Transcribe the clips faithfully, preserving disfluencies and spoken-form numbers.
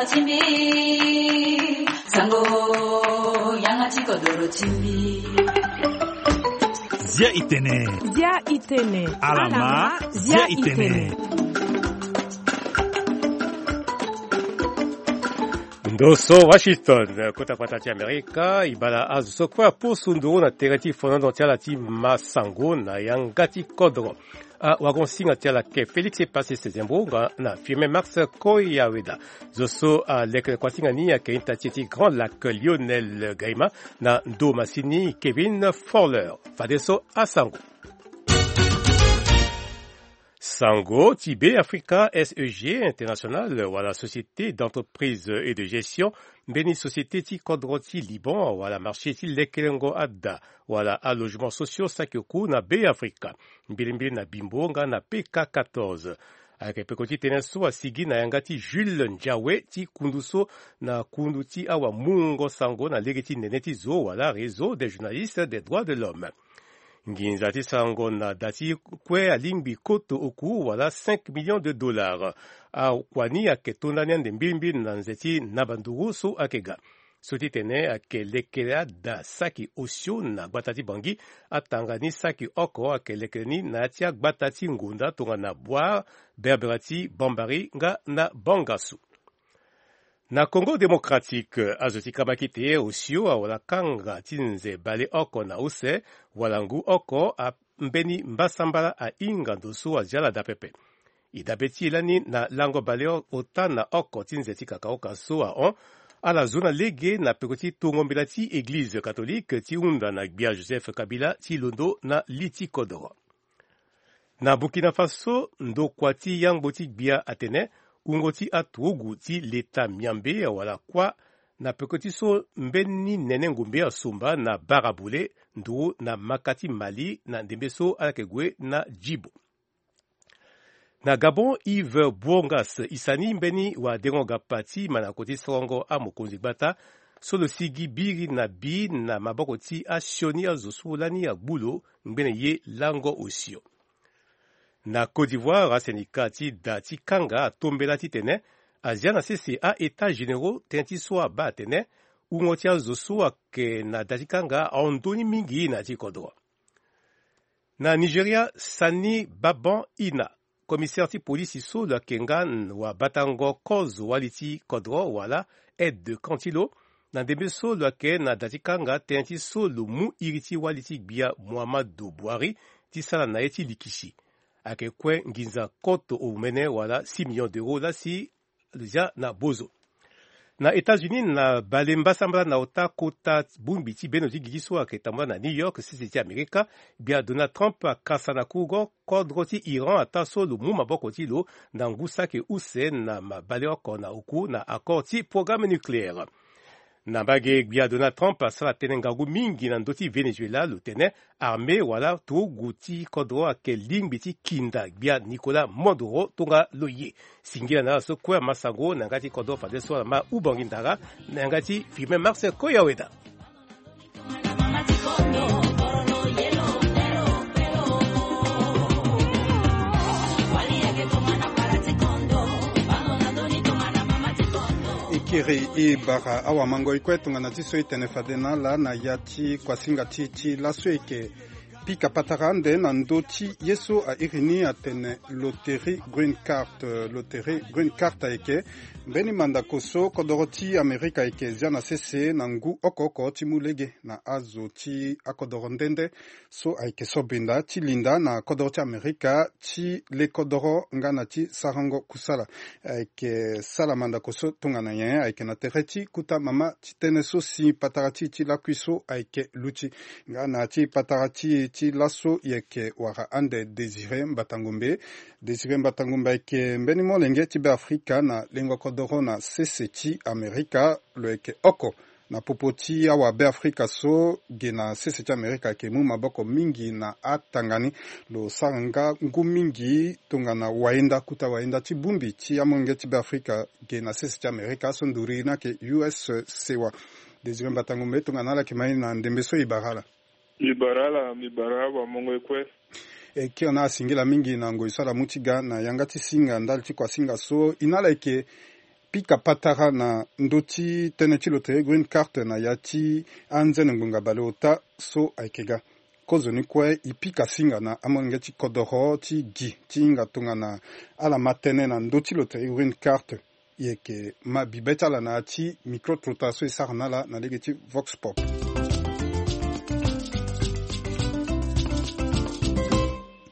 Timbi, sango, yanga ti kodoro timbi. Zia itene. Zia itene. Alama, zia itene. Ndo so Washington, kota kpata ti Amerika, e bala azo so kue apusu nduru na tere ti fonono ti ala ti masango na yanga ti kodro. Awagon-singa ti ala ke Félix Epassi Sezembro nga na Firmin Max Koyaweda. Zo so aleke kuasinga ni ayeke ita ti e ti Grand Lac Lionel Gaima na ndo masini Kevin Fowler. Fadeso asango. Sango ti Be Afrika, S E G International wala Société d'entreprise et de gestion, mbeni société ti kodro ti Liban wala marché ti lekelengo ada wala alogement sociaux saki oku na Be Afrika, mbilimbili na Bimbo nga na P K quatorze. Ayeke peko ti tënë so asigi na yanga ti Jules Ndiawe ti kundu so na kundu ti awamungo sango na lege ti nene ti zo wala Réseau des journalistes des droits de l'homme. Nginza ti sango na da ti kue alingbi koto oku wala cinq millions de dollars. Akua ni ayeke to ndani ande mbilimbili na nze ti naba nduru so ayeke ga. So ti tene ayeke lekere ada saki osio na gbata ti Bangui. Atanga ni saki oko ayeke lekere ni na ya ti agbata ti Ngonda tongana Bouar, Berbera ti Bambari nga na Bangassou. Na Congo Démocratique, azo ti kabakite osio awala kanga ti nze baleoko na use, wala ngu oko a mbeni mbasambala ahinga ndo so azia ala daa pepe. E dabe ti e lani na lango baleota na oko ti nze ti kakaoka so ahon ala zo na lege na peko ti tongo mbela ti eglize katolike ti hunda na gbia Joseph Kabila ti londo na li ti kodoro. Na Burkina Faso, ndokua ti yangbo ti gbia atene wungo ti aturugu ti leta miambe awala kuâ na peko ti so mbeni nene ngombe asomba na bara bole nduru na maka ti Mali na ndembe so ala yeke gue na Djibo. Na Gabon, Yves Bourgas e sani mbeni wadengo-gapa ti mandako ti sorongo amokonzi gbata so lo sigi biri na bi na maboko ti asioni azo so lani agbu lo ngbene ye lango osio. Na Côte d'Ivoire, asendika ti da ti kanga atombela titene azia na sese a-états généraux tënë ti so abaa atene wungo ti azo so ayeke na da ti kanga ahon ndoni mingi na ya ti kodro. Na Nigeria, Sani Baban Ina, commissaire ti polisi so lo yeke nga wabatango kozo wali ti kodro wala aide de camp ti lo, na ndembe so lo yeke na da ti kanga tënë ti so lo mu iri ti wali ti gbia Muhammadu Buhari ti sara na ye ti likisi. Ayeke kue nginza koto omene wala six millions d'euros lasi lo zia na bozo. Na États-Unis, na bale mbasambala na ota kota bongbi ti bendo ti gigi so ayeke tambula na New York, sese ti Amerika, gbia Donald Trump akasa na kurugo kodro ti Iran ataa so lo mu maboko ti lo na ngu saki use na mabale oko na oku na accord ti programme nucléaire. Na mbage, gbia Donald Trump asara tënë ngangu mingi na ndö ti Venezuela, lo tene armée wala turugu ti kodro ayeke lingbi ti kinda gbia Nicolas Maduro tongana lo ye. Singila na ala so kue amasango na yanga ti kodro fadeso ala ma ubangi ndara na yanga ti Firmin Marcel Koyaweda. E kiri e bara awamango e kue tongana ti so e tene fade na ala na ya ti kuasinga ti e ti laso e yeke pika patara ande na ndö ti ye so a iri ni atene loterie Green Card. Loterie Green Card ayeke mbeni mandako so kodoro ti Amerika ayeke zia na sese na ngu oko oko ti mu lege na azo ti akodoro nde nde so ayeke sobinda ti linda na kodoro ti Amerika ti le kodoro nga na ti sarango kusala. Ayeke sala mandako so tongana nyen? Ayeke na tere ti kota mama ti tënë so si patara ti e ti lakui so ayeke luti. Nga na ti patara ti e ti laso e yeke wara ande Désiré Mbatangombe. Désiré Mbatangombe ayeke mbeni molenge ti Beafrika na lengo kodoro na sese ti Amerika. Lo yeke oko na popo ti awabeafrika so ge na sese ti Amerika ayeke mu maboko mingi na atanga ni. Lo sara nga ngu mingi tongana wayenda, kota wayenda ti bongbi ti amolenge ti Beafrika ge na sese ti Amerika so nduru ni ayeke U S sewa. Désiré Mbatangombe, tongana ala yeke ma e na ndembe so e bara ala. Mi bara ala, mi bara awamongo e kue. E kiri na ala singila mingi na ngoi so ala mu ti ga na yanga ti singa ndali ti kuasinga so. E na ala yeke pika patara na ndö ti tënë ti loterie Green Card na ya ti anzene ngbonga baleota so ayeke ga. Kozoni kue e pika singa na amolenge ti kodoro ti gi ti hinga tongana ala ma tënë na ndö ti loterie Green Card. E yeke ma bibe ti ala na ya ti micro-trottoir so e sara na ala na lege ti Vox Pop.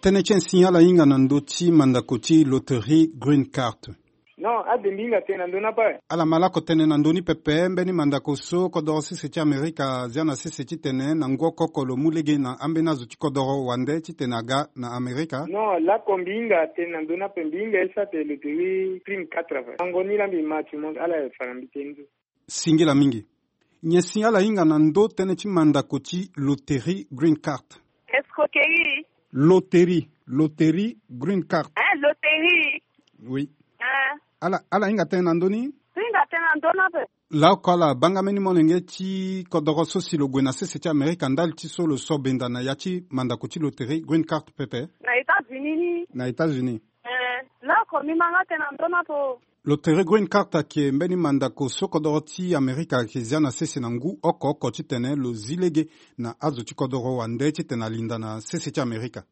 Tënë ti ensin ala hinga na ndö ti mandako ti loterie Green Card. Non, ade mbi hinga tënë na ndö ni ape. Ala ma lako tënë na ndö ni pepe mbeni mandako so kodoro sese ti Amerika azia na sese titene na ngu oko oko lo mu lege na ambeni azo ti kodoro wande titene aga na Amerika. Non, lako mbi hinga tënë na ndö ni ape, mbi hinga e sara tene loterie Green Card ape. Sango ni laa mbi ma ti mo ala fa na mbi tënë so. Singila mingi. Nyen si ala hinga na ndö tënë ti mandako ti loterie Green Card? Escroquerie. Loterie, loterie Green Card. Hein, loterie. Oui. Ah. Ala, ala hinga tënë na ndö ni? Hinga tënë na ndö ni ape. Laoko ala banga mbeni molenge ti kodoro so si lo gue na sese ti Amerika ndali ti so lo so benda na ya ti mandako ti loterie Green Card pepe? Na États-Unis ni. Na États-Unis. Eh, laoko mbi ma nga tënë na ndö ni ape. Loterie Green Card ayeke mbeni mandako so kodoro ti Amerika ayeke zia na sese na ngu oko oko titene lo zi lege na azo ti kodoro wande titene alinda na sese ti Amerika.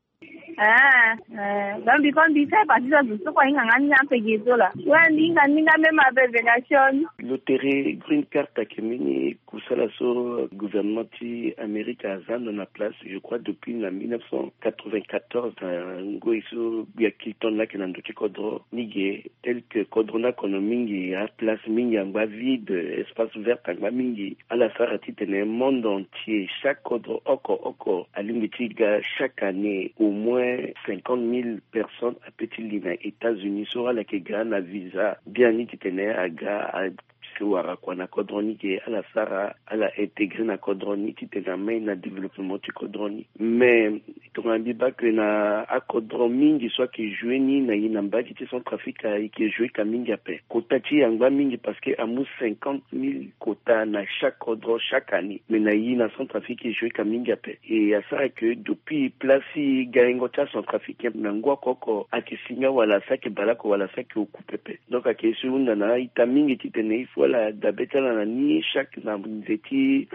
Eh, eh, donc mbi kue mbi sara partie ti azo so kue ahinga nga ni ape ge so laa. Wala mbi hinga ni nga même ape vengation. Loterie Green Card ayeke mbeni kusala so gouvernement ti Amerika aza ndo na place, je crois, depuis na mille neuf cent quatre-vingt-quatorze, na ngoi so gbia Clinton laa ayeke na ndö ti kodro ni ge, tel que kodro ni akono mingi, aplace mingi angba vide, espace vert angba mingi. Ala sara titene monde entier, chaque kodro oko oko alingbi ti ga chaque année au moins cinquante mille personnes ape ti li na États-Unis so ala yeke ga na visa biani titene aga a si wara kua na kodro ni ge, ala sara, ala intégrer na kodro ni titene amai na développement ti kodro ni. Mais tongana mbi baa que na akodro mingi so ayeke jouer ni na e na mbage ti Centrafrique, e yeke jouer ka mingi ape. Kota ti e angba mingi parce que amu cinquante mille kota na chaque kodro chaque année. Mais na e na Centrafrique e jouer ka mingi ape. E asara que depuis place ti gaingo ti aCentrafricain na ngu oko oko ayeke si nga wala si ayeke bale oko wala si ayeke oku pepe. Donc ayeke so e hunda na ita mingi titene il faut ala dabe ti ala na ni chaque na nze ti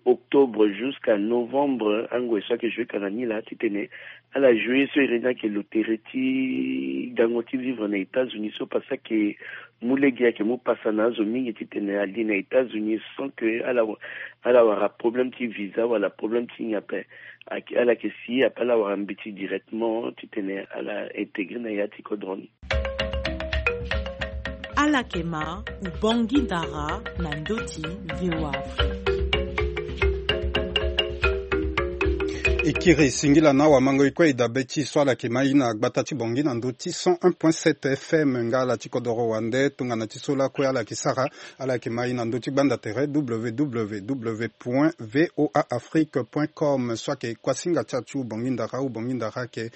octobre jusqu'à novembre, angoi so ayeke jouer ka na ni laa titene ala jouer so iri ni ayeke loterie ti gango ti vivre na États-Unis so parce que ayeke mu lege, ayeke mu pasa na azo mingi titene ali na États-Unis sans que ala, ala wara problème ti visa wala problème ti nyen ape. Ayeke, ala yeke si ape ala wara mbeti directement titene ala intégrer na ya ti kodro ni. Ala yeke ma, u Bangui Dara na ndö ti V O A Afrique. E kiri singila na awamango e kue e dabe ti e so ala yeke ma e na gbata ti Bangui na ndö ti cent un point sept F M nga ala ti kodoro wande tongana ti so lakue ala yeke sara, ala yeke ma e na ndö ti gbanda tere W W W point V O A Afrique point com so ayeke kuasinga ti achu Bangui Dara, u Bangui Dara ayeke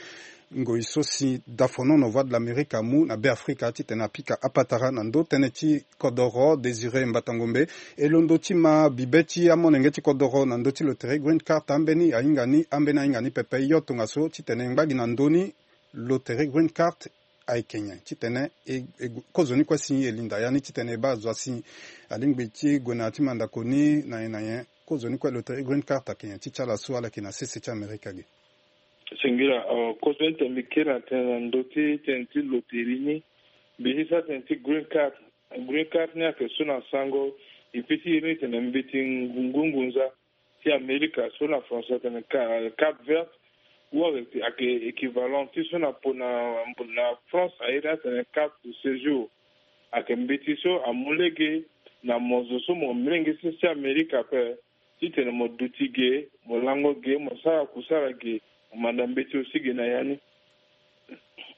ngoi so si dafonono Voix de l'Amérique amu na Beafrika titene apika apatara na ndö tënë ti kodoro Désiré Mbatangombe. E londo ti ma bibe ti amolenge ti kodoro na ndö ti loterie Green Card ambeni ahinga ni, ambeni ahinga ni pepe, yo tongaso titene e ngba gi na ndö ni loterie Green Card ayeke nyen titene e, e, kozoni kue si e linda ya ni titene e baa zo asi alingbi ti gue na ya ti mandako ni na nyen na nyen. Kozoni kue loterie Green Card ayeke nyen ti ti ala so ala yeke na sese ti Amerika ge? Singila, euh, kozoni tene mbi kiri na tënë na ndö ti tënë ti loterie ni. Mbi ti sara tënë ti Green Card. Green Card ni ayeke so na sango e peut ti iri ni tene mbeti ngu-, ngunza ti Amerika so na français atene ca-, carte verte, ou ayeke équivalent ti so na po na, na France a iri ni atene carte de séjour. Ayeke mbeti so amu lege na mo zo so mo molenge sese ti Amerika ape, titene mo duti ge, mo lango ge, mo sara kusala ge, mo manda mbeti aussi ge na ya ni.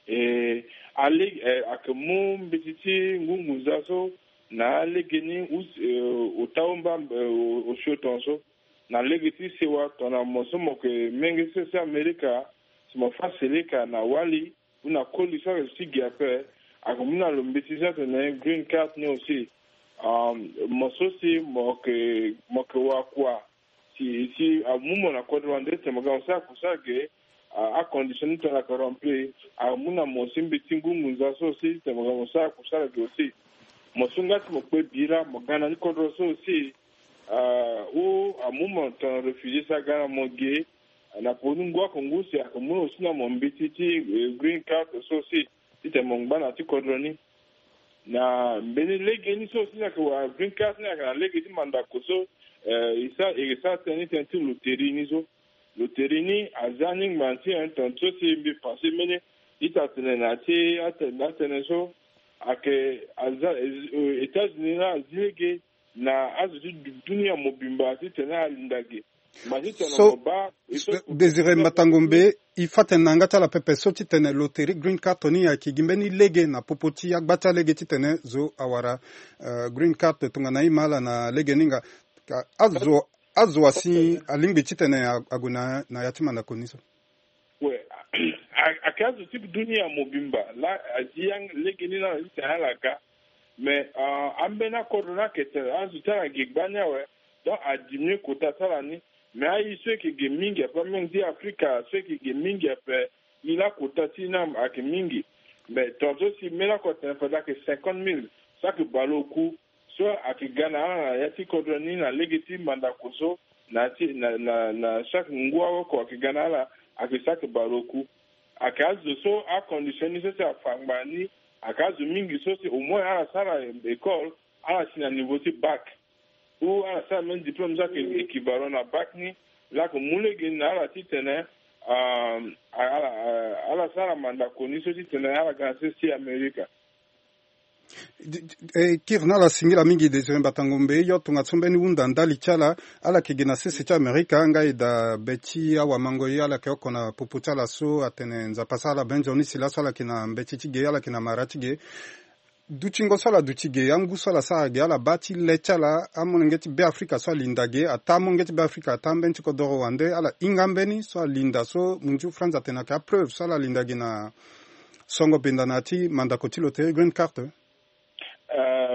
E, alege, e, ayeke mu mbeti ti ngungunza so na alege ni, us-, e, ota omba, e, o-, osio tongaso. Na lege ti sewa tongana mo so mo yeke molenge sese ti Amerika, si mo fâ seleka na wali, ou na koli so ayeke zo ti gi ape, ayeke mu na lo mbeti so atene green card ni aussi. Um, mo so si mo yeke, mo yeke wakua, si, si amu mo na kodro wande titene mo ga mo sara kusala ge, a, acondition ni tongana ayeke rempli, amu na mo aussi mbeti ngungunza so aussi titene mo ga mo sara kusala ge aussi. Mo so nga ti mo kpe bira mo ga na ni kodro so aussi. Ou amu mo tongana réfugié so aga na mo ge na poni ngu ako ngu si ako mu na aussi na mo mbeti ti green card so aussi. Titene mo ngba na ti kodro ni na mbeni lege ni so aussi ni ayeke wara green card ni ayeke na lege ti mandako so. E sa e sa tënë ni tënë ti loterie ni so. Loterie ni aza ni ngba ti un temps so si mbi pensé mbeni ita tene na ti atene so ayeke aza. États-Unis na azi lege na azo ti dunia mobimba titene alinda ge. Ma titene so mo baa. Désiré Mbatango Mbe, e fa tene na yanga ti ala pepe so titene loterie green card ni ayeke gi mbeni lege na popo ti agba ti alege titene zo awara green card tongana e ma ala na lege ni nga. Azo azo asi alingbi titene ague na ya ti mandako ni so. We, ayeke azo ti dunia mobimba laa azi lege ni na ala titene ala ga. Mais ambeni akodro ni ayeke tene azo ti ala ge gbani awe. Donc adiminué kota ti ala ni. Mais aye so eke ge mingi ape amenge ti afrika so eke ge mingi ape. Ye lakota ti na ayeke mingi. Mais tonga so si mbeni ako atene fade ayeke cinquante mille so ayeke baleoku. So ayeke ga na ala na ya ti kodro ni na lege ti mandako so na ti na na na chaque ngu aoko ayeke ga na ala. Ayeke so ayeke baleoku. Ayeke azo so acondition ni so si afa ngbanga ni. Ayeke azo mingi so si au moins ala sara école ala si na niveau ti bac ou ala sara même diplôme so ayeke équivalent na bac ni. Laa ayeke mu lege ni na ala titene ala sara mandako ni so titene ala ga na sese ti amerika. Kiri na ala singila mingi Désiré Mbatango Mbe yo tongaso mbeni hunda ndali ti ala. Ala yeke gi na sese ti amerika nga e daa be ti awamango ye ala yeke oko na popo ti ala so atene nzapa sara ala be nzoni si laso ala yeke na mbeti ti ge ala yeke na mara ti ge. Dutingo so ala duti ge angu so ala sara ge ala baa ti le ti ala amolenge ti be afrika so alinda ge ataa amolenge ti be afrika ataa mbeni ti kodoro wande ala hinga mbeni so alinda so munzu franz atene ayeke apreuve so ala linda ge na songo benda na ya ti mandako ti loterie green card.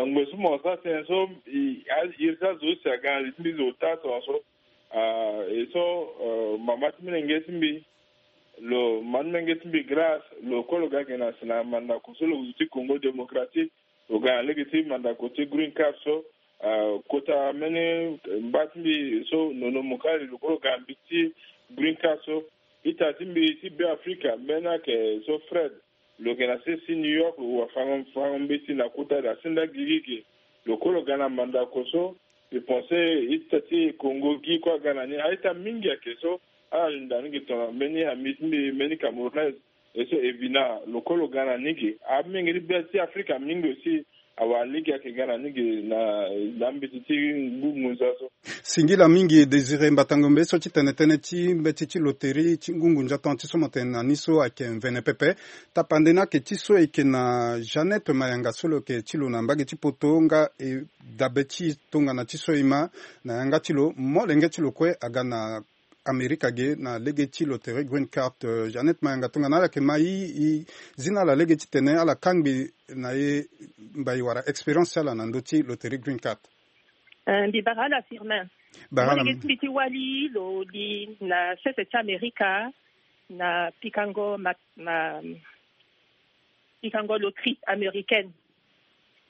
Ngoi so mo sa tënë so iri ti azo si aga na li ti mbi zo ota tongaso. E so mama ti molenge ti mbi lo ma ti molenge ti mbi grâce lo kue lo ga ge na si na mandako so lo zo ti congo démocratique. Lo ga na lege ti mandako ti green card so. Kota mbeni mba ti mbi so nono mokali lo kue lo ga na mbi ti green card so. Ita ti mbi ti be afrika mbeni ayeke so fred. Lo yeke na sese ti new york lo wafango mbeti na kota da senda gigi ge. Lo kue lo ga na mandako so. Mbi pense ita ti kongo gi kue aga na ni a-ita mingi ayeke so. Ala linda ni ge tongana mbeni ami ti mbi mbeni camerounaise. E so evina lo kue lo ga na ni ge. Amenge ti be ti afrika mingi aussi. Awara lege ayeke ga na ni ge na na mbeti ti ngu ngunza so. Singila mingi Désiré Mbatangombe so ti tene tënë ti mbeti ti loterie ti ngu ngunza tongana ti so mo tene na ni so ayeke mvene pepe. Tapande ni ayeke ti so e yeke na Jeannette Mayanga so lo yeke ti lo na mbage ti poto nga e dabe ti e tongana ti so e ma na yanga ti lo molenge ti lo kue aga na Amerika ge na lege ti loterie green card. Jeannette Mayanga tongana ala yeke ma e e zi na ala lege titene ala kangbi na e mbai wala expérience ti ala na ndö ti loterie green card. Mbi bara ala Firmin. Bara ala. Molenge ti mbi ti wali lo li na sese ti Amerika na pikango ma ma pikango loterie américaine.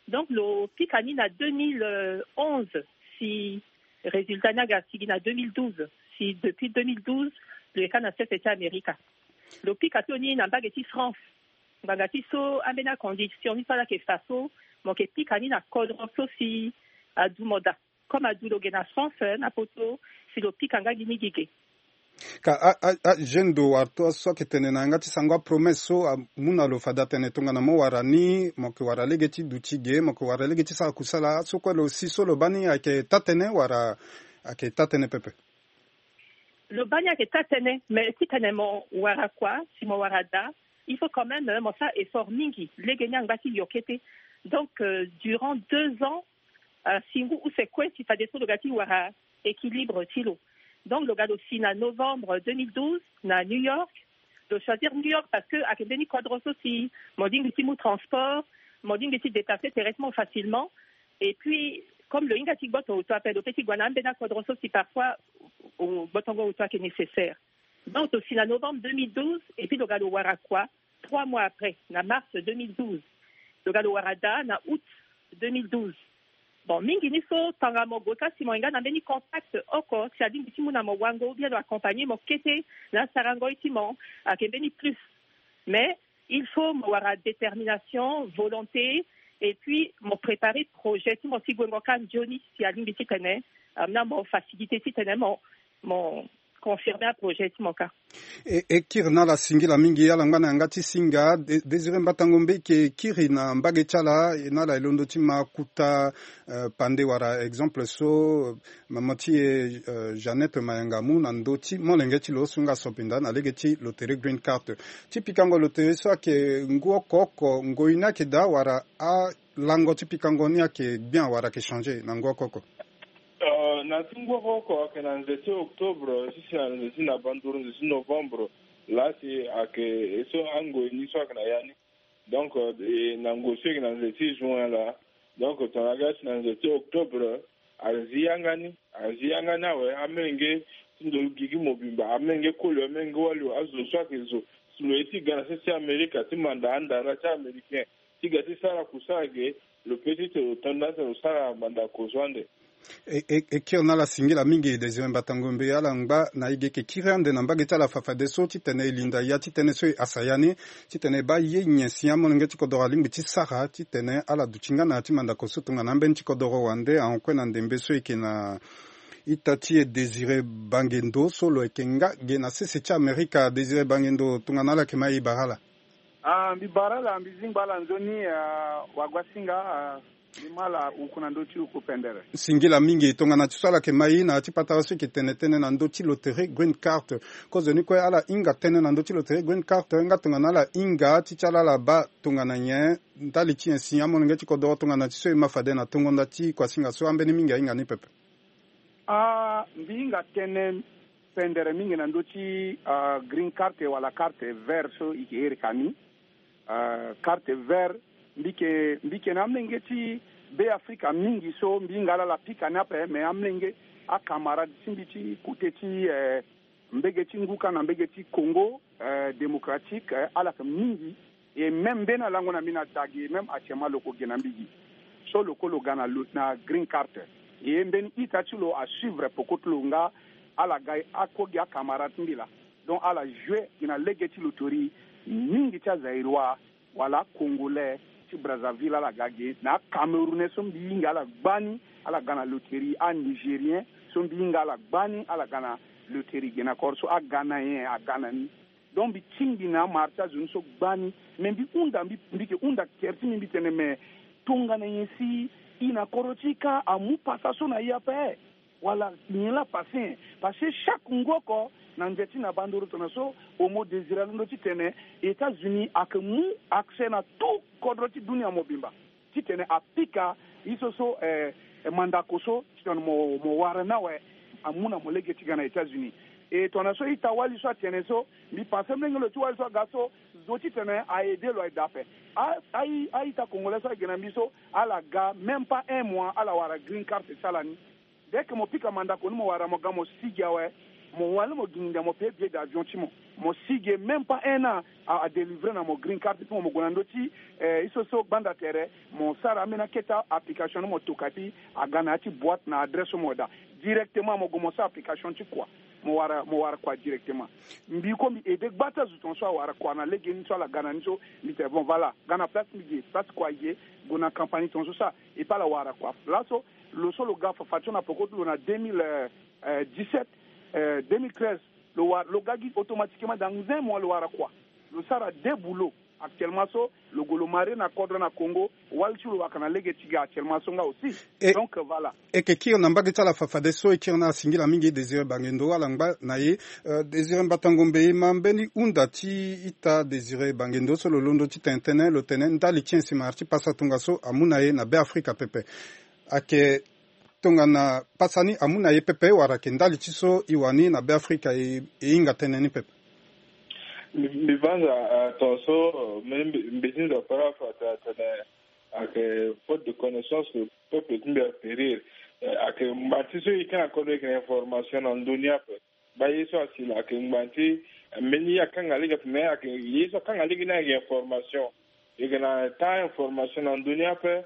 Donc lo pika ni na deux mille onze si résultat ni aga sigi na deux mille douze. Si depuis deux mille douze lo yeka na sese ti Amerika. Lo pika so ni na mbage ti France. Ngbanga ti so ambeni acondition ni so ala yeke fa so mo yeke pika ni na kodro so si adu mo daa. Comme adu lo ge na France na poto si lo pika nga gi ni gi ge. Ka a a a jeune do wara to so ayeke tene na yanga ti sango apromesse so amu na lo fade atene tongana mo wara ni mo yeke wara lege ti duti ge mo yeke wara lege ti sara kusala so kue lo si so lo baa ni ayeke taa-tënë wala ayeke taa-tënë pepe? Lo baa ni ayeke taa-tënë mais titene mo wara kua si mo wara daa il faut quand même mo sara effort mingi lege ni angba ti yo kete. Donc durant deux ans si ngu use kue si fadeso lo ga ti wara équilibre ti lo. Donc lo ga lo si na novembre deux mille douze na new york. Lo choisir new york parce que ayeke mbeni kodro so si mo lingbi ti mu transport, mo lingbi ti déplacer terresement facilement. Et puis comme lo hinga ti gboto oto ape lo pe ti gua na ambeni akodro so si parfois gbotongo oto ayeke nécessaire. Donc lo si na novembre deux mille douze et puis lo ga lo wara kua trois mois après na mars deux mille douze. Lo ga lo wara daa na août deux mille douze. Bon, mingi ni so tanga mo gota si mo hinga na mbeni contact oko si alingbi ti mu na mo wango ou bien lo accompagner mo kete na sarango ti mo, ake mbeni plus. Mais il faut mo wara détermination, volonté, et puis mo préparer projet ti mo ti gwengo ka nzoni si alingbi titene amina mo facilité titene mo mo confirmer aprojet ti mo ka. E, e kiri na ala singila mingi ala ngba na yanga ti singa. Désiré Mbatango Mbe eke kiri na mbage ti ala na ala elondo ti ma kuta, euh, pande wala exemple so mama ti e, euh, Jeannette Mayanga amu na ndö ti molenge ti lo so nga so pinda na lege ti loterie Green Card. Ti pikango loterie so ayeke ngu oko oko ngoi ni ayeke daa wala alango ti pikango ni ayeke bien wala ayeke changer na ngu oko oko? Euh, na ti ngu oko oko ayeke na nze ti octobre ti si na nze ti na banduru nze ti novembre. Laa si ayeke so angoi ni so ayeke na ya ni. Donc, euh, e na ngoi so ayeke na nze ti juin laa. Donc tongana aga si na nze ti octobre azi yanga ni. Azi yanga ni awe amolenge ti ndo gigi mobimba, amolenge koli, amolenge wali, azo so ayeke zo si lo ye ti ga na se ti Amerika ti manda andara ti américain ti ga ti sara kusara ge. Lo pe ti tene lo tonda tene lo sara mandako so ande. E, e, e kiri na ala singila mingi Désiré Mbatango Mbe. Ala ngba na e ge eke kiri ande na mbage ti ala fafadeso titene e linda ya ti tënë so e hasa ya ni titene e baa ye nyen si amolenge ti kodoro alingbi ti sara titene ala duti nga na ya ti mandako so tongana ambeni ti kodoro wande ahon kue na ndembe so e yeke na ita ti e Désiré Bangendo so lo yeke nga ge na sese ti Amerika. Désiré Bangendo, tongana ala yeke ma e, e bara ala. Ah, mbi bara ala, mbi zingba ala nzoni, ah, wagoasinga, ah, mbi ma ala uku na ndö ti uku pendere. Singila mingi, tongana ti so ala yeke ma e na ya ti patara so e yeke tene tënë na ndö ti loterie Green Card. Kozoni kue ala hinga tënë na ndö ti loterie Green Card nga tongana ala hinga ti ti ala ala baa tongana nyen ndali ti nyen si amolenge ti kodoro tongana ti so e ma fade na tongo nda ti kuasinga so ambeni mingi ahinga ni pepe. Ah, mbi hinga tënë pendere mingi na ndö ti, ah, green card wala carte vert so e ke iri ka ni. Ah, carte vert, mbi ke, mbi ke na amolenge ti Be Afrika mingi so mbi hinga ala ala pika ni ape, mais amolenge, acamarade ti mbi ti kote ti, eh, mbege ti ngu ka na mbege ti Congo, eh, démocratique, eh, ala yeke mingi. E même mbeni alango na mbi na da gi, même actuellement lo ko gi na mbi gi. So lo ko lo ga na lo, na green card. E mbeni ita ti lo asuivre peko ti lo nga ala ga, ako gi acamarade ti mbi laa. Donc ala jouer gi na lege ti loterie mingi ti azaïrois wala acongolais ti Brazzaville ala ga ge, na acamerounais so mbi hinga ala gbani ala ga na loterie, anigérien so mbi hinga ala gbani ala ga na loterie ge na koro so aga na nyen aga na ni. Donc mbi tingbi na amara ti azo ni so gbani. Me mbi hunda, mbi, mbi ke hunda tere ti mbi, mbi tene me tongana nyen si e na kodro ti e ka amu pasa so na e ape? Wala nyen laa pase? Parce que chaque ngu oko na nze ti na bandoro tongana so Homo Désiré alondo titene États-Unis ayeke mu accès na tout kodro ti dunia mobimba titene apika ye so so, eh, eh, mandako so titene mo, mo wara ni awe amu na mo lege ti ga na États-Unis. E tongana so ita-wali so atene so, mbi pense molenge lo ti wali so aga so zo titene a-aidé lo aye daa ape. A, a, a-ita congolais so ayeke na mbi so ala ga même pas un mois ala wara green card ti ala ni. Dès que mo pika mandako ni mo wara mo ga mo sigi awe, mo wani mo gi nginda mo paye billet d'avion ti mo. Mo sigi même pas un an a, a délivrer na mo green card ti mo, mo gue na ndö ti, eh, ye so so gbanda tere, mo sara ambeni akete application ni mo toka ti aga na ya ti boîte na adresse so mo daa. Directement mo gue mo sara application ti kua. Mo wara, mo wara kua directement. Mbi ko mbi aidé gba ti azo tongaso awara kua na lege ni so ala ga na ni so, mbi tene bon voilà, ga na place mbi ge, place kua e ge, gue na compagnie tongaso sara, et puis ala wara kua. Laso lo so lo ga fafa ti lo na peko ti lo na deux mille dix-sept, euh, deux mille treize, lo wara, lo ga gi automatiquement dans un mois lo wara kua. Lo sara deux boulots. Actuellement so lo gue lo marie na kodro na Congo, wali ti lo waka na lege ti ga actuellement so nga aussi. Donc voilà. E ke kiri na mbage ti ala fafadeso, e kiri na ala singila mingi Désiré Bangendo, ala ngba na e. Euh, Désiré Mbatango Mbe, e ma mbeni hunda ti ita Désiré Bangendo so lo londo ti tene tënë, lo tene ndali ti nyen si mara ti pasa tongaso amu na e na Be Afrika pepe. Ayeke tongana pasa ni amu na e pepe wala ayeke ndali ti so e wani na Be Afrika e, e hinga tënë ni pepe? Mbi, mbi banza, euh, tongaso, euh, mbi, mbi, mbi ti nzapa laa fa tene, tene ayeke faute de connaissance que peuple ti mbi apérir. Eh, ayeke ngba ti so e yeke na kodro e yeke na information na ndö ni ape. Baa ye so asi laa ayeke ngba ti, eh, mbeni ye akanga lege ape, mais ayeke ye so akanga lege ni ayeke information. E yeke na temps information na ndö ni ape.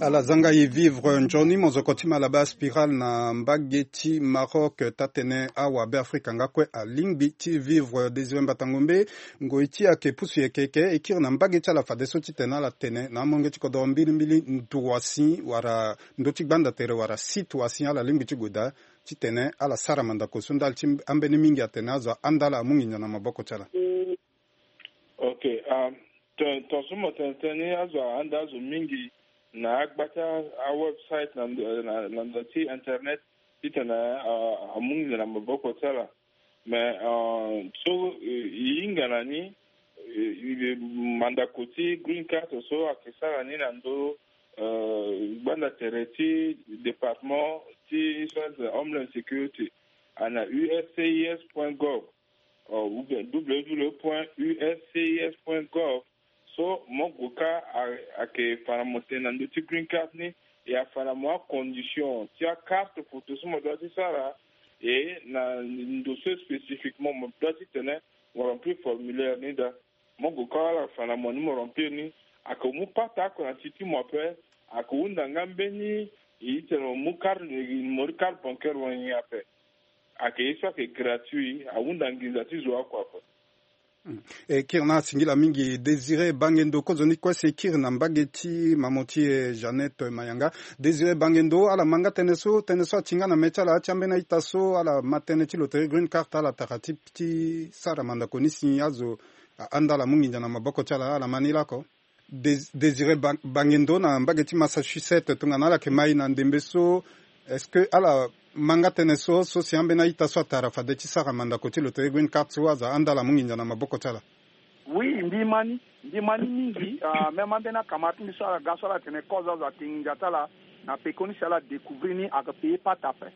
Ala zanga e vivre nzoni mozoko ti Malabar Spiral na mbage ti Maroc, taa-tene awa Beafrika nga kue alingbi ti vivre. Désiré Mbata Ngombe, ngoi ti e ayeke pusu yeke yeke e kiri na mbage ti ala fadeso titene ala tene na amolenge ti kodoro mbilimbili ndua si wala ndö ti gbanda tere wala site wa si ala lingbi ti gue daa titene ala sara mandako so ndali ti ambeni mingi atene azo ahanda ala amu nginza na maboko ti ala. Ok. Um, ton, ton so mo tene tënë ni azo ahanda azo mingi na agba ti awebsite na ndo, na, na ndo ti internet titene uh, amu nginza na maboko ti ala. Mais uh, so uh, e hinga na ni uh, mandako ti green card so ayeke sara ni na ndö uh, gbanda tere ti département ti Homeland Security, ana U S C I S point gov uh, ou bien W W W point U S C I S point gov. So mo gue kâ ayeke fa na mo tene na ndö ti green card ni, e afa na mo acondition ti acarte photo so mo doit ti sara. Et na ndo so spécifiquement mo doit titene mo remplir formulaire ni daa. Mo gue kâ ala fa na mo ni mo remplir ni, ake mu pata oko na ti ti mo ape. Ake hunda nga mbeni, e titene mo mu carte, mo ri carte bancaire wani ape. Ake ye so ake gratuit, ahunda nginza ti zo oko ape. E kiri na ala singila mingi Désiré Bangendo, kozoni kue si e kiri na mbage ti mamo ti e Jeannette Mayanga. Désiré Bangendo, ala ma nga tënë so, tënë so ati nga na mê ti ala ti ambeni a-ita so ala ma tënë ti loterie Green Card, ala tara ti ti sara mandako ni si azo ahanda ala mu nginza na maboko ti ala, ala ma ni lako. Dés- Désiré Ba- Bangendo na mbage ti Massachusetts, tongana ala yeke ma e na ndembe so, est-ce que ala ma nga tënë so, so si ambeni a-ita so atara fade ti sara mandako ti loterie Green Card so azo ahanda ala mu nginza na maboko ti ala? Oui, mbi ma ni, mbi ma ni mingi. Ah, même ambeni akamara ti mbi so ala ga so ala tene kozo azo ake nginza ti ala na pekoni si ala découvrir ni ake payé pata ape.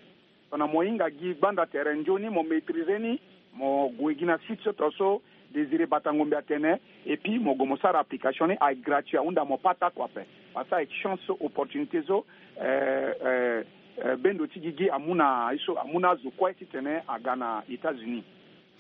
Tongana mo hinga gi gbanda tere nzoni, mo maîtriser ni, mo gue gi na site so to so Désiré Batangombe atene, et puis mo gue mo sara application ni, aye gratuit, ahunda mo pata kua ape. Parce que aye chance so, opportunité so, euh, euh, euh, bendo ti gigi amu na aye so, amu na azo kue titene aga na États-Unis.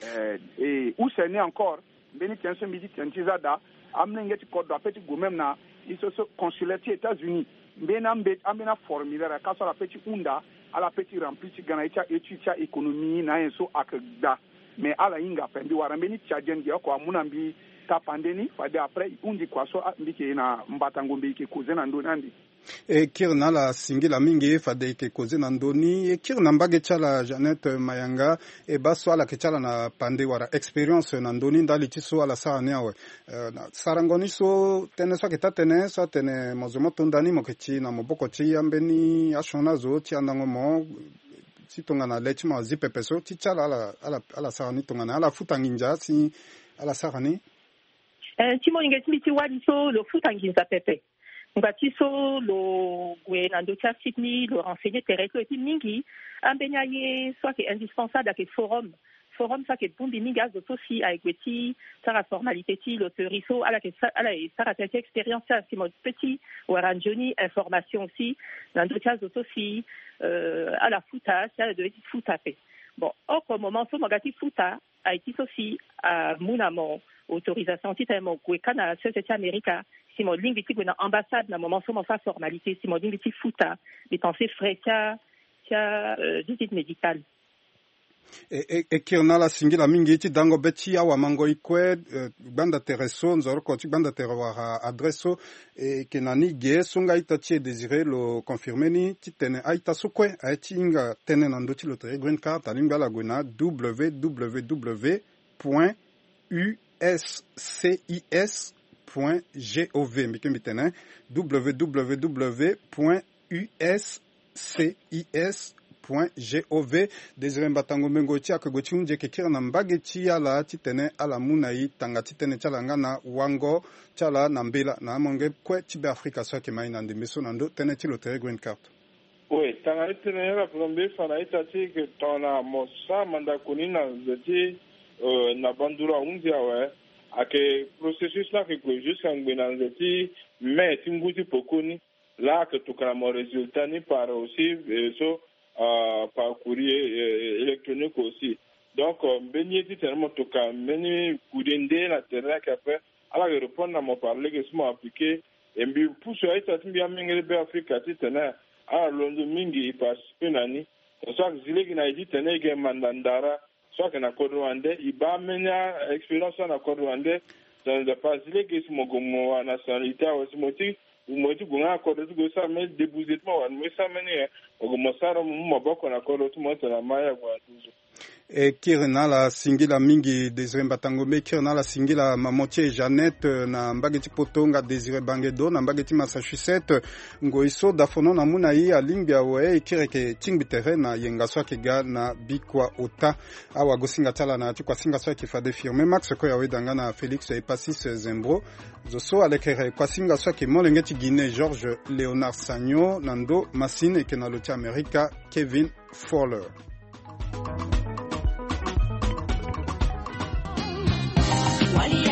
Euh, et use ni encore, mbeni tënë so mbi ti tene ti za daa, amolenge ti kodro ape ti gue même na ye so so consulaire ti États-Unis. Mbeni ambe- ambeni aformulaire aka so ala pe ti hunda, ala pe ti remplir ti ga na ye ti a-étude ti a-économie na anyen so ake gba. Mais ala hinga ape. Mbi wara mbeni Tchadien ge oko amu na mbi tapande ni, fade après e hundi kua so, ah, mbi yeke na mbatangombe e yeke causer na ndö ni ande. E kiri na ala singila mingi, fade e yeke causer na ndö ni. E kiri na mbage ti ala Jeannette Mayanga, e baa so ala yeke ti ala na pande wala expérience na ndö ni ndali ti so ala sara ni awe. Eh, na sarango ni so, tënë so ayeke taa tënë so atene mo zo mo to nda ni mo yeke ti na maboko ti ambeni asioni azo ti andango mo, ti tongana le ti mo azi pepe so, ti ti ala, ala, ala, ala sara ni tongana ala futa nginza si ala sara ni. Eh, ti molenge ti mbi ti wali so lo futa nginza pepe. Ngba ti so lo gue na ndö ti asite ni, lo renseigner tere ti lo, et puis mingi ambeni aye so ayeke indispensable ayeke forum. Forum so ayeke bongbi mingi azo so si aye gue ti sara formalité ti loterie so, ala yeke sa- ala ye sara tënë ti expérience ti ala si mo pe ti wara nzoni information aussi na ndö ti azo so si, euh, ala futa, si ala doit ti futa ape. Bon, oko moment so mo ga ti futa, aye ti so si amu na mo autorisation titene mo gue kâ na sese ti Amerika, si mo lingbi ti gue na ambassade na moment so mo sara formalité, si mo lingbi ti futa, dépenser frais ti a, ti a, euh, visite médicale. E, e, e kiri na ala singila mingi ti dango be ti awamangoi kue, eh, gbanda tere so, nzoroko ti gbanda tere wala adresse so, e yeke na ni ge so nga a-ita ti e Désiré lo confirmer ni titene a-ita so kue aye ti hinga tënë na ndö ti loterie Green Card, alingbi ala gue na www point uscis point gov. Mbi ke mbi tene www point uscis point gov. Désiré Mbatango Mengo ti ayeke gue ti hunzi eke kiri na mbage ti ala titene ala mu na e tanga ti tënë ti ala nga na wango ti ala na mbela na amolenge kue ti Beafrika so ayeke ma e na ndembe so na ndö tënë ti loterie Green Card. Oui, tanga ti tënë ni ala pe na mbi fa na ita ti e ke tongana mo sara mandako ni na nze ti, euh, na banduru ahunzi awe, ayeke processus ni ayeke gue jusqu'à ngbe na nze ti mai ti ngu ti pekoni. Laa ayeke tokua na mo résultat ni par aussi, euh, so, euh, par courrier, euh, électronique aussi. Donc, euh, mbeni ye titene mo tokua mbeni courrier nde na tere ni ayeke ape, ala yeke répondre na mo par lege si mo appliquer. E mbi pusu a-ita ti mbi amengele Beafrika titene ala londo mingi e participer na ni. Parce que zi lege na e titene e yeke manda ndara so ayeke na kodro wande, e baa mbeni a-expérience so na kodro wande. Tongana nzapa azi lege si mo gue mo wara nationalité awe si mo ti, mo ti gue nga na kodro ti gue sara mbeni déboursé ti mo wala mo ye sara mbeni nyen, mo gue mo sara mo mu maboko na kodro ti mo tongana ma ye ague na nduzu. E kiri na ala singila mingi Désiré Mbatango Mbe, e kiri na ala singila mamo ti e Jeannette, eh, na mbage ti Poto, nga Désiré Bangedo na mbage ti Massachusetts. Ngoi so dafono na mu na e alingbi awe, e kiri eke tingbi tere na yenga so ayeke ga na bikua ota. Awagosinga ti ala na ya ti kuasinga so ayeke fade firme Max Koya Weda nga na Félix Epasis Zembro. Zo so alekere kuasinga so ayeke molenge ti Guinée Georges Léonard Sagno, na ndo masini eke na lo ti Amerika Kevin Fowler. Wali